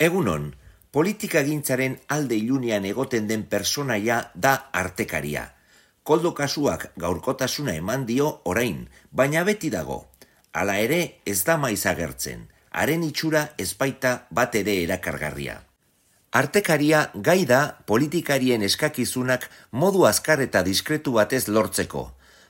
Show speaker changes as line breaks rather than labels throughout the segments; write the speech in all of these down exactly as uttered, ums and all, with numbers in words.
Egunon, politikagintzaren alde ilunean egoten den personaia da artekaria. Koldo kasuak gaurkotasuna eman dio orain, baina beti dago. Hala ere ez da maiz agertzen, haren itxura ez baita bat ere erakargarria. Artekaria gai da politikarien eskakizunak modu azkar eta diskretu batez lortzeko.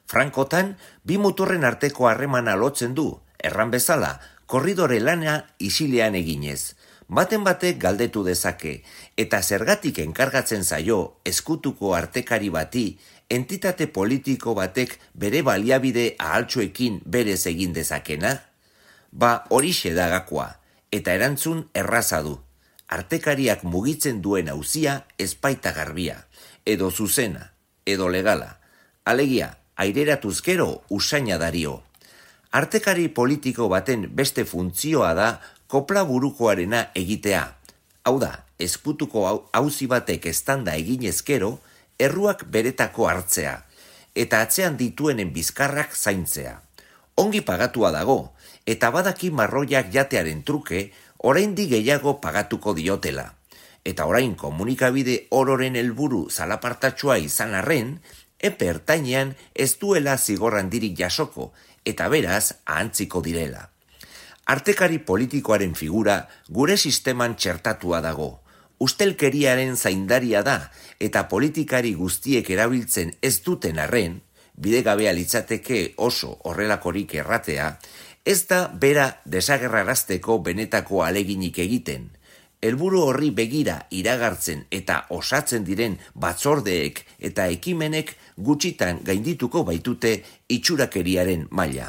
Frankotan, bi muturren arteko harremana lotzen du, erran bezala, korridore lana isilean eginez. Baten batek galdetu dezake, eta zergatik enkargatzen zaio ezkutuko artekari bati, entitate politiko batek bere baliabide ahaltsuekin berez egin dezakena? Ba horixe da gakoa, eta erantzun erraza du. Artekariak mugitzen duen auzia ez baita garbia, edo zuzena, edo legala. Alegia, aireratuz gero usaina dario. Artekari politiko baten beste funtzioa da kopla burukoarena egitea. Hau da, ezkutuko auzi batek eztanda eginez gero, erruak beretako hartzea, eta atzean dituenen bizkarrak zaintzea. Ongi pagatua dago, eta badaki marroiak jatearen truke, oraindik gehiago pagatuko diotela. Eta orain komunikabide ororen helburu zalapartatsua izan arren, epe ertainean ez duela zigor handirik jasoko, eta beraz ahantziko direla. Artekari politikoaren figura gure sisteman txertatua dago. Ustelkeriaren zaindaria da eta politikari guztiek erabiltzen ez duten arren, bidegabea litzateke oso horrelakorik erratea, ez da bera desagerrarazteko benetako aleginik egiten. Helburu horri begira iragartzen eta osatzen diren batzordeek eta ekimenek gutxitan gaindituko baitute itxurakeriaren maila.